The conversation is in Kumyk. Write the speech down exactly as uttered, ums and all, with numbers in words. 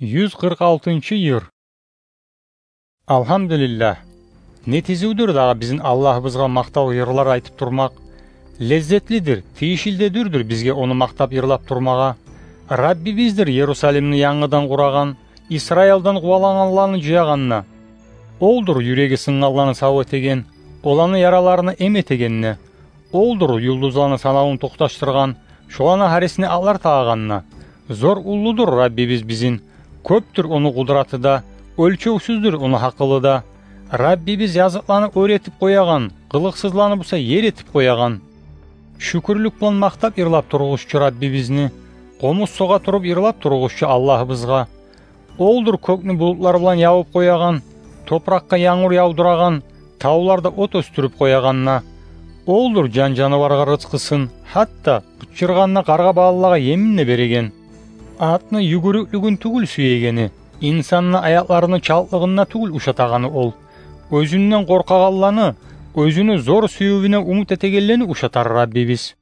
Юз къыркъ алтынчы йыр. Алгьамдулиллагь. Не тизивдюр дагъы бизин Аллагьыбызгъа макътав йырлар айтып турмакъ. Леззетлидир, тийишли де дюрдюр бизге ону макътап йырлап турмагъа. Раббибиздир Ерусалимни янгыдан къурагъан, Исраилдан къувалангъанланы жыягъан да. Олдур юреги сынгъанланы сав этеген, оланы яраларына эм этеген де. Олдур юлдузланы санавун токъташдыргъан, шоланы гьарисине атлар тагъагъан да. Зор уллудур Раббибиз бизин, кёпдюр ону къудраты да, оьлчевсюздюр ону гьакъылы да. Раббибиз языкъланы оьр этип къоягъан, къылыкъсызланы буса ер этип къоягъан. Шюкюрлюк булан макътап йырлап тургъузчу Раббибизни, къомуз согъа туруп йырлап тургъузчу Аллагьыбызгъа. Олдур кёкню булутлар булан явуп къоягъан, топуракъгъа янгур явдурагъан, тавларда от оьсдюрюп къоягъан да. Олдур жан-жанываргъа рызкъысын, гьатта къычыргъанда къаргъа балалагъа емин де береген. Атны югюрюклюгюн тюгюл сюегени, инсанны аякъларыны чалтлыгъын да тюгюл ушатагъаны ол. Оьзюнден къоркъагъанланы, оьзюню зор сюювюне умут этегенлени ушатар Раббибиз.